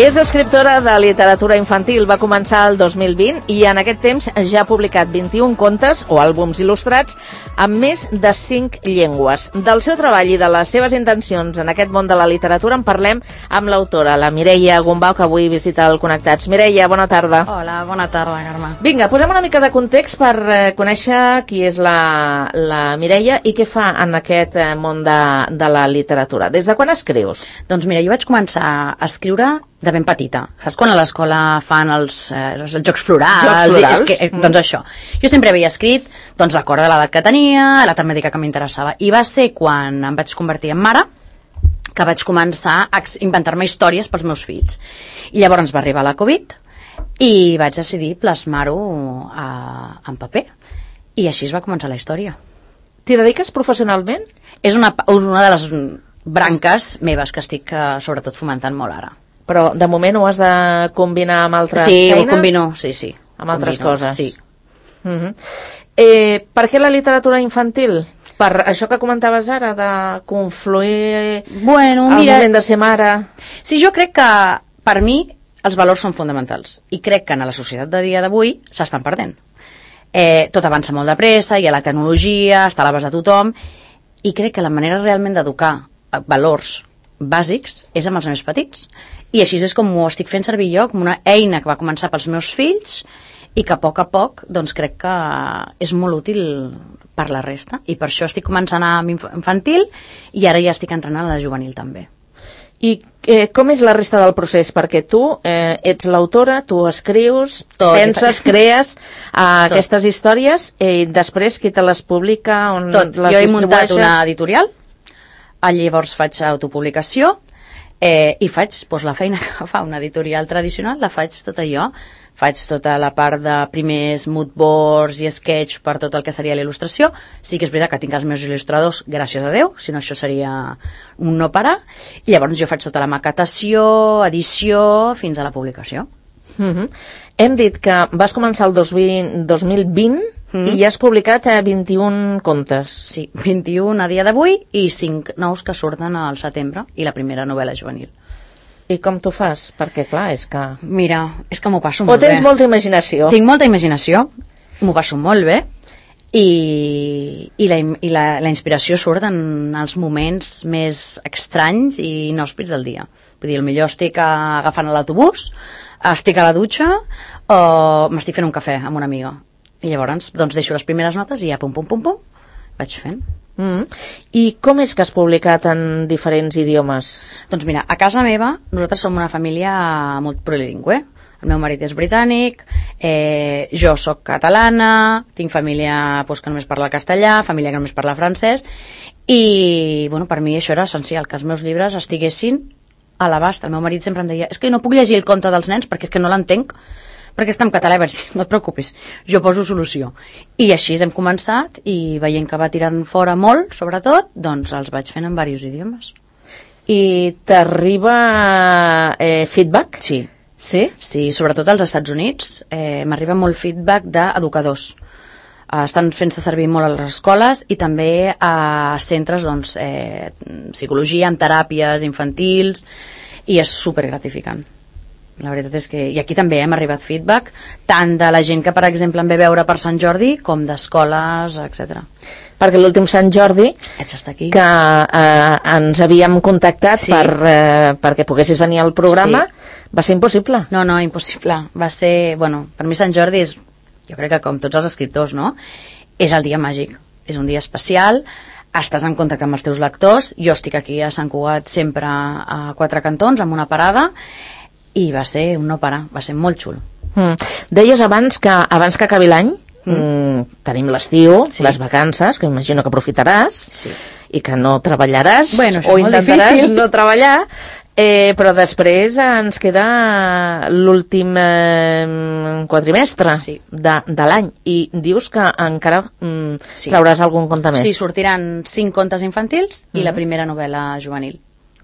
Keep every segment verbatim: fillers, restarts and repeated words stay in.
És escriptora de literatura infantil, va començar el dos mil vint i en aquest temps ja ha publicat vint-i-un contes o àlbums il·lustrats amb més de cinc llengües. Del seu treball i de les seves intencions en aquest món de la literatura en parlem amb l'autora, la Mireia Gombau, que avui visita el Connectats. Mireia, bona tarda. Hola, bona tarda, Carme. Vinga, posem una mica de context per eh, conèixer qui és la, la Mireia i què fa en aquest eh, món de, de la literatura. Des de quan escrius? Doncs mira, jo vaig començar a escriure de ben petita. Saps quan a l'escola fan els, eh, els jocs florals? Jocs florals? És que, eh, doncs això. Jo sempre havia escrit doncs, d'acord a l'edat que tenia, a la temàtica que m'interessava. I va ser quan em vaig convertir en mare que vaig començar a inventar-me històries pels meus fills. I llavors va arribar la Covid i vaig decidir plasmar-ho a, en paper. I així es va començar la història. T'hi dediques professionalment? És una, una de les branques meves que estic eh, sobretot fomentant molt ara. Però de moment ho has de combinar amb altres sí, feines? Sí, ho combino, sí, sí. Amb altres combino, coses? Sí. Uh-huh. eh, per què la literatura infantil? Per això que comentaves ara, de confluir bueno, al mira, moment de ser mare? Sí, jo crec que per mi els valors són fonamentals i crec que en la societat de dia d'avui s'estan perdent. Eh, tot avança molt de pressa, hi ha la tecnologia, està a l'abast de tothom, i crec que la manera realment d'educar valors bàsics és amb els més petits. I així és com ho estic fent servir jo, com una eina que va començar pels meus fills i que a poc a poc doncs, crec que és molt útil per la resta. I per això estic començant amb infantil i ara ja estic entrenant a la juvenil també. I eh, com és la resta del procés? Perquè tu eh, ets l'autora, tu escrius, Tot. penses, crees eh, aquestes històries i després qui te les publica, on Tot. les jo he distribueixes? muntat una editorial, llavors faig autopublicació eh, i faig doncs, la feina que fa una editorial tradicional, la faig tota jo. Faig tota la part de primers mood boards i sketch per tot el que seria la il·lustració. Sí que és veritat que tinc els meus il·lustradors, gràcies a Déu, si no això seria un no parar. I llavors jo faig tota la maquetació, edició, fins a la publicació. Uh-huh. Hem dit que vas començar el dos mil vint mm. i ja has publicat eh, vint-i-un contes. Sí, vint-i-un a dia d'avui i cinc nous que surten al setembre i la primera novel·la juvenil. I com t'ho fas? Perquè, clar, és que... Mira, és que m'ho passo molt bé. O tens bé. molta imaginació? Tinc molta imaginació, m'ho passo molt bé, i, i, la, i la, la inspiració surt en els moments més estranys i inhòspits del dia. Vull dir, potser estic agafant l'autobús, estic a la dutxa, o m'estic fent un cafè amb una amiga. I llavors, doncs, deixo les primeres notes i ja pum, pum, pum, pum, vaig fent. Mm. I com és que has publicat en diferents idiomes? Doncs mira, a casa meva nosaltres som una família molt plurilingüe. El meu marit és britànic, eh, jo sóc catalana, tinc família pues, que només parla castellà, família que només parla francès, i bueno, per mi això era essencial, que els meus llibres estiguessin a l'abast. El meu marit sempre em deia, és que no puc llegir el conte dels nens perquè és que no l'entenc, perquè està en català, i vaig dir, no et preocupis, jo poso solució. I així hem començat, i veient que va tirant fora molt, sobretot, doncs els vaig fent en diversos idiomes. I t'arriba eh, feedback? Sí. Sí? Sí, sobretot als Estats Units eh, m'arriba molt feedback d'educadors. Eh, estan fent-se servir molt a les escoles i també a centres, doncs, eh, psicologia, amb teràpies infantils, i és supergratificant. La veritat és que... I aquí també hem arribat feedback, tant de la gent que, per exemple, em ve veure per Sant Jordi, com d'escoles, etcètera. Perquè l'últim Sant Jordi, aquí. que eh, ens havíem contactat sí. per, eh, perquè poguessis venir al programa, sí. va ser impossible. No, no, impossible. Va ser... Bueno, per mi Sant Jordi és, jo crec que com tots els escriptors, no? És el dia màgic. És un dia especial, estàs en contacte amb els teus lectors, jo estic aquí a Sant Cugat sempre a Quatre Cantons, amb una parada, i va ser un no parar, va ser molt xulo. Mm. Deies abans que abans que acabi l'any mm. Mm, tenim l'estiu, sí. les vacances, que imagino que aprofitaràs sí. i que no treballaràs bueno, o intentaràs difícil. no treballar, eh, però després ens queda l'últim eh, quadrimestre sí. de, de l'any, i dius que encara mm, sí. trauràs algun conte més. Sí, sortiran cinc contes infantils mm. i la primera novel·la juvenil.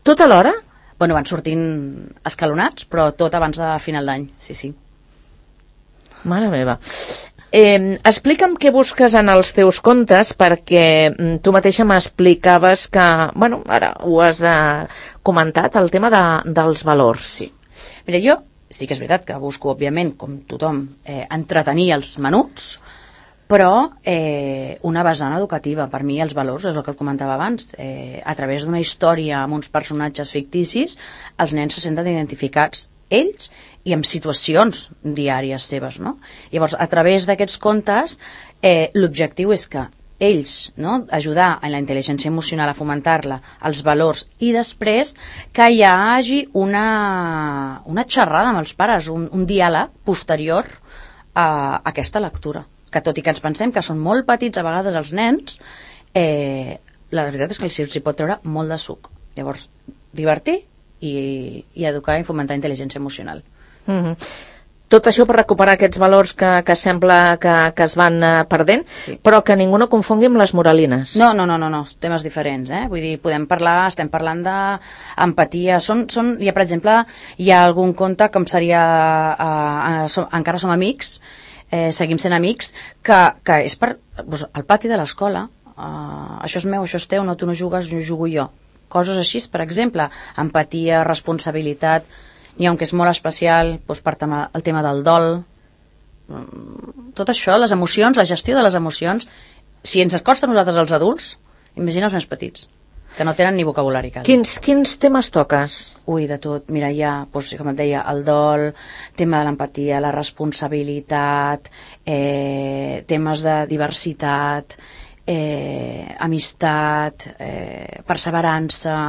Tot alhora? Bueno, van sortint escalonats, però tot abans de final d'any, sí, sí. Mare meva. Eh, explica'm què busques en els teus contes, perquè tu mateixa m'explicaves que, bueno, ara ho has eh, comentat, el tema de, dels valors. Sí. Mira, jo sí que és veritat que busco, òbviament, com tothom, eh, entretenir els menuts, però eh, una vessant educativa. Per mi els valors, és el que et comentava abans, eh, a través d'una història amb uns personatges ficticis, els nens se senten identificats ells i amb situacions diàries seves, no? Llavors, a través d'aquests contes, eh, l'objectiu és que ells, no, ajudar a la intel·ligència emocional, a fomentar-la, els valors, i després que hi hagi una, una xerrada amb els pares, un, un diàleg posterior a aquesta lectura. Que tot i que ens pensem que són molt petits a vegades els nens, eh, la veritat és que els hi pot treure molt de suc. Llavors, divertir i, i educar i fomentar intel·ligència emocional. Mm-hmm. Tot això per recuperar aquests valors que, que sembla que, que es van uh, perdent, sí. Però que ningú no confongui amb les moralines. No, no, no, no, no, temes diferents, eh? Vull dir, podem parlar, estem parlant d'empatia. Són, són, hi ha, per exemple, hi ha algun conte com seria uh, uh, som, Encara som amics, eh, seguim sent amics, que, que és per doncs, al pati de l'escola. Uh, això és meu, això és teu, no, tu no jugues, jo jugo jo. Coses així, per exemple, empatia, responsabilitat. N'hi ha un que és molt especial, doncs, per tema, el tema del dol. Tot això, les emocions, la gestió de les emocions, si ens costa a nosaltres els adults, imagina els més petits, que no tenen ni vocabulari quasi. Quins, quins temes toques? Ui, de tot. Mira, hi ha, doncs, com et deia, el dol, tema de l'empatia, la responsabilitat, eh, temes de diversitat, eh, amistat, eh, perseverança...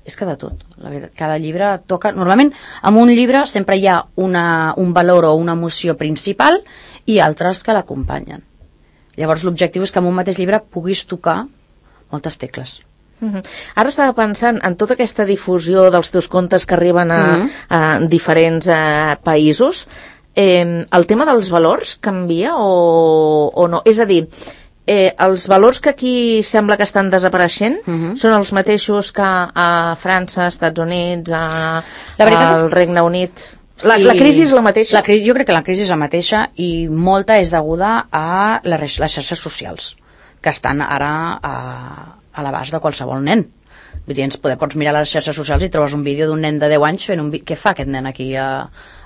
És que de tot, la veritat. Cada llibre toca... Normalment, en un llibre sempre hi ha una, un valor o una emoció principal i altres que l'acompanyen. Llavors, l'objectiu és que en un mateix llibre puguis tocar moltes tecles. Mm-hmm. Ara estava pensant en tota aquesta difusió dels teus contes que arriben a, mm-hmm. a diferents a, països. Eh, el tema dels valors canvia o, o no? És a dir... Eh, els valors que aquí sembla que estan desapareixent uh-huh. són els mateixos que a França, als Estats Units, a, al Regne Unit. La, sí, la crisi és la mateixa? La crisi, jo crec que la crisi és la mateixa i molta és deguda a les, les xarxes socials, que estan ara a, a l'abast de qualsevol nen. Vull dir, ens poder, pots mirar les xarxes socials i trobes un vídeo d'un nen de deu anys fent un vídeo. Què fa aquest nen aquí a,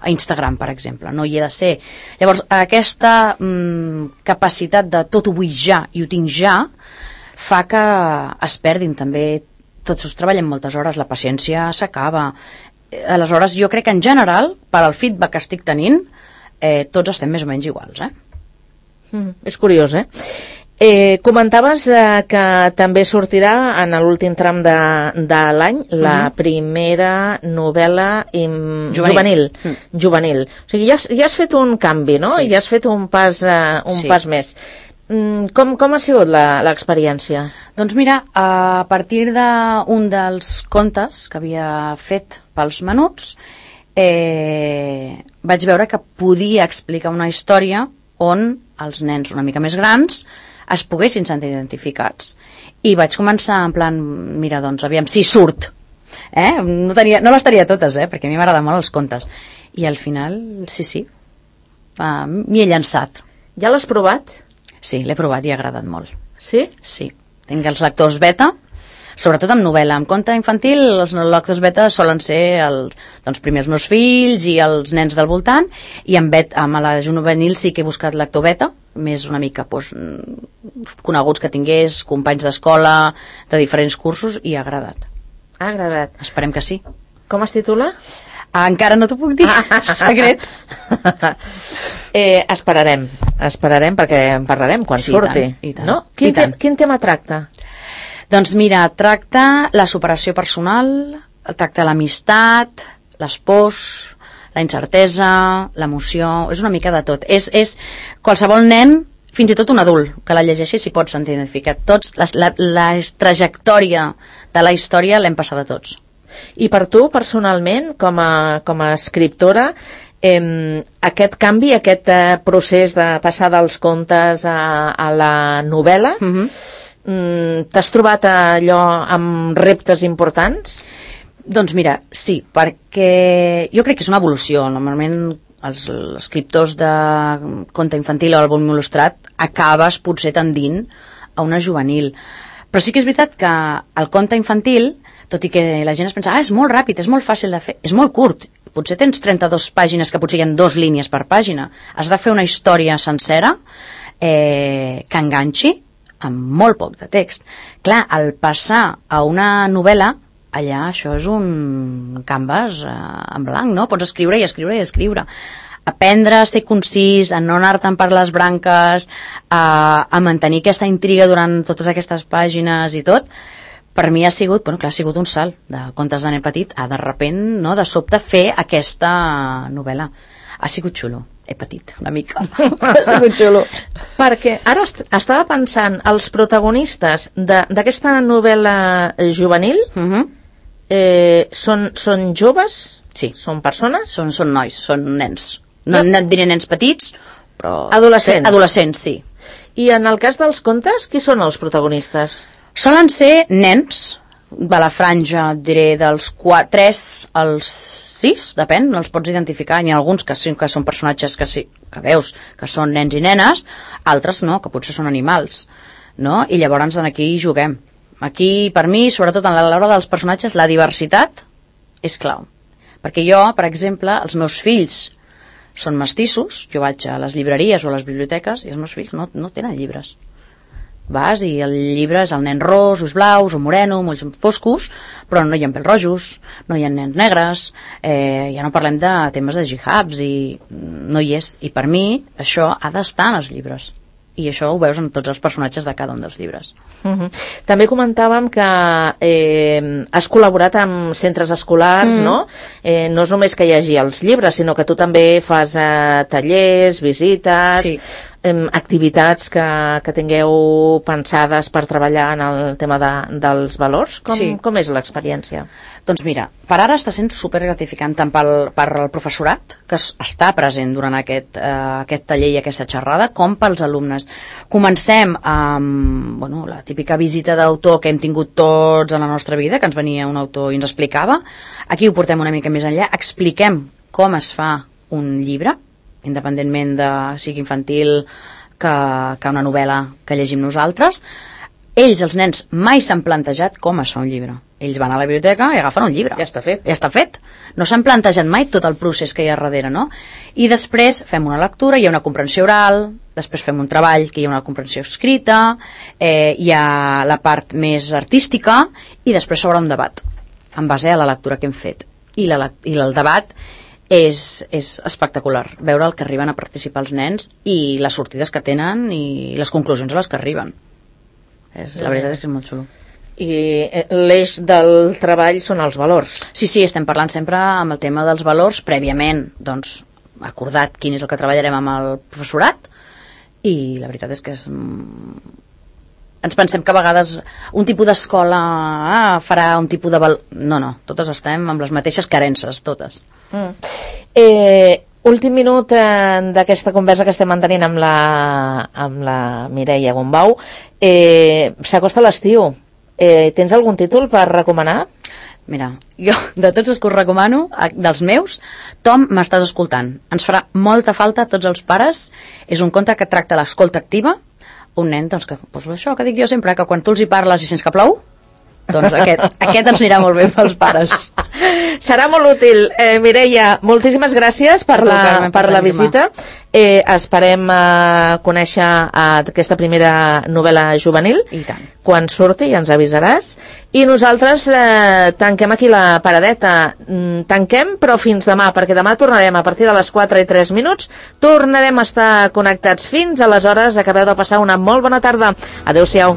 a Instagram, per exemple? No hi ha de ser. Llavors, aquesta mm, capacitat de tot ho vull ja i ho tinc ja fa que es perdin també. Tots treballem moltes hores, la paciència s'acaba. Aleshores, jo crec que en general, per al feedback que estic tenint, eh, tots estem més o menys iguals. Eh? Mm, és curiós, eh? Eh, comentaves eh, que també sortirà en l'últim tram de, de l'any la mm-hmm. primera novel·la im, juvenil, juvenil, mm. juvenil. O sigui, ja has, ja has fet un canvi, no? Sí. Ja has fet un pas, eh, un sí. pas més. Mm, com, com ha sigut l'experiència? Doncs mira, a partir d'un dels contes que havia fet pels menuts, eh, vaig veure que podia explicar una història on els nens una mica més grans es poguessin sentir identificats. I vaig començar en plan, mira, doncs, aviam si surt. Eh? No, tenia, no les tenia totes, eh? Perquè a mi m'agraden molt els contes. I al final, sí, sí, uh, m'hi he llançat. Ja l'has provat? Sí, l'he provat i ha agradat molt. Sí? Sí. Tinc els lectors beta, sobretot amb novel·la. Amb conte infantil, els lectors beta solen ser el, doncs, primer els meus fills i els nens del voltant, i amb, bet, amb la juvenil sí que he buscat lector beta, més una mica doncs, coneguts que tingués, companys d'escola, de diferents cursos, i ha agradat. Ha agradat. Esperem que sí. Com es titula? Ah, encara no t'ho puc dir, secret. eh, esperarem, esperarem perquè en parlarem quan sí, surti. I tant, i tant. No? Quin, te quin tema tracta? Doncs mira, tracta la superació personal, tracta l'amistat, les pors, la incertesa, l'emoció, és una mica de tot. És, és qualsevol nen, fins i tot un adult, que la llegeixi s'hi pot sentir identificat. Tots, la, la, la trajectòria de la història l'hem passada tots. I per tu, personalment, com a, com a escriptora, eh, aquest canvi, aquest eh, procés de passar dels contes a, a la novel·la, mm-hmm. t'has trobat allò amb reptes importants? Doncs mira, sí, perquè jo crec que és una evolució. Normalment els escriptors de conte infantil o àlbum il·lustrat acabes potser tendint a una juvenil. Però sí que és veritat que el conte infantil, tot i que la gent es pensa, ah, és molt ràpid, és molt fàcil de fer, és molt curt, potser tens trenta-dues pàgines que potser hi ha dues línies per pàgina. Has de fer una història sencera eh, que enganxi amb molt poc de text. Clar, al passar a una novel·la, allà això és un canvas eh, en blanc, no? Pots escriure i escriure i escriure. Aprendre a ser concís, a no anar-te'n per les branques, a, a mantenir aquesta intriga durant totes aquestes pàgines i tot, per mi ha sigut, bueno, clar, ha sigut un salt de Contes de nen petit a de repent, no, de sobte fer aquesta novel·la. Ha sigut xulo, he patit una mica, ha sigut xulo. Perquè ara est estava pensant, els protagonistes d'aquesta novel·la juvenil uh -huh. eh, són, són joves? Sí. Són persones? Són, són nois, són nens. No, no et diré nens petits, però... Adolescents? Adolescents, sí. I en el cas dels contes, qui són els protagonistes? Solen ser nens, de la franja, diré, dels tres als sis, depèn, els pots identificar. Hi ha alguns que, sí, que són personatges que, sí, que veus que són nens i nenes, altres no, que potser són animals, no? I llavors aquí juguem. Aquí, per mi, sobretot en l'hora dels personatges, la diversitat és clau. Perquè jo, per exemple, els meus fills són mestissos, jo vaig a les llibreries o a les biblioteques i els meus fills no, no tenen llibres. Vas i el llibre és el nen ros, ulls blaus o moreno, molts foscos, però no hi ha pèls rojos, no hi ha nens negres, eh, ja no parlem de temes de jihadis i no hi és. I per mi això ha d'estar en els llibres. I això ho veus en tots els personatges de cada un dels llibres. Uh-huh. També comentàvem que eh, has col·laborat amb centres escolars, uh-huh. no? Eh, no és només que hi hagi els llibres, sinó que tu també fas eh, tallers, visites, sí. eh, activitats que, que tingueu pensades per treballar en el tema de, dels valors. Com, sí. com és l'experiència? Doncs mira, per ara està sent supergratificant tant pel, per el professorat, que està present durant aquest, eh, aquest taller i aquesta xerrada, com pels alumnes. Comencem amb bueno, la típica visita d'autor que hem tingut tots a la nostra vida, que ens venia un autor i ens explicava. Aquí ho portem una mica més enllà, expliquem com es fa un llibre, independentment de sigui infantil que, que una novel·la que llegim nosaltres. Ells, els nens, mai s'han plantejat com es fa un llibre. Ells van a la biblioteca i agafen un llibre. Ja està fet. Ja està fet. No s'han plantejat mai tot el procés que hi ha darrere, no? I després fem una lectura, hi ha una comprensió oral, després fem un treball que hi ha una comprensió escrita, eh, hi ha la part més artística i després s'obre un debat en base a la lectura que hem fet. I, la, i el debat és, és espectacular, veure el que arriben a participar els nens i les sortides que tenen i les conclusions a les que arriben. És, la veritat és que és molt xulo. I l'eix del treball són els valors. Sí, sí, estem parlant sempre amb el tema dels valors, prèviament, doncs, acordat quin és el que treballarem amb el professorat, i la veritat és que és... ens pensem que a vegades un tipus d'escola ah, farà un tipus de valor... No, no, totes estem amb les mateixes carences, totes. Mm. Eh, últim minut eh, d'aquesta conversa que estem mantenint amb la, amb la Mireia Gombau. Eh, s'acosta l'estiu. Eh, tens algun títol per recomanar? Mira, jo de tots els que us recomano, dels meus, Tom, m'estàs escoltant. Ens farà molta falta a tots els pares. És un conte que tracta l'escolta activa. Un nen, doncs, que, doncs això que dic jo sempre, que quan tu els hi parles i sents que plou, doncs aquest, aquest ens anirà molt bé pels pares. Serà molt útil. Eh, Mireia, moltíssimes gràcies per la, per la visita. Eh, esperem eh, conèixer eh, aquesta primera novel·la juvenil. I tant. Quan surti ja ens avisaràs. I nosaltres eh, tanquem aquí la paradeta. Mm, tanquem, però fins demà, perquè demà tornarem a partir de les quatre i tres minuts. Tornarem a estar connectats. Fins aleshores, acabeu de passar una molt bona tarda. Adéu-siau.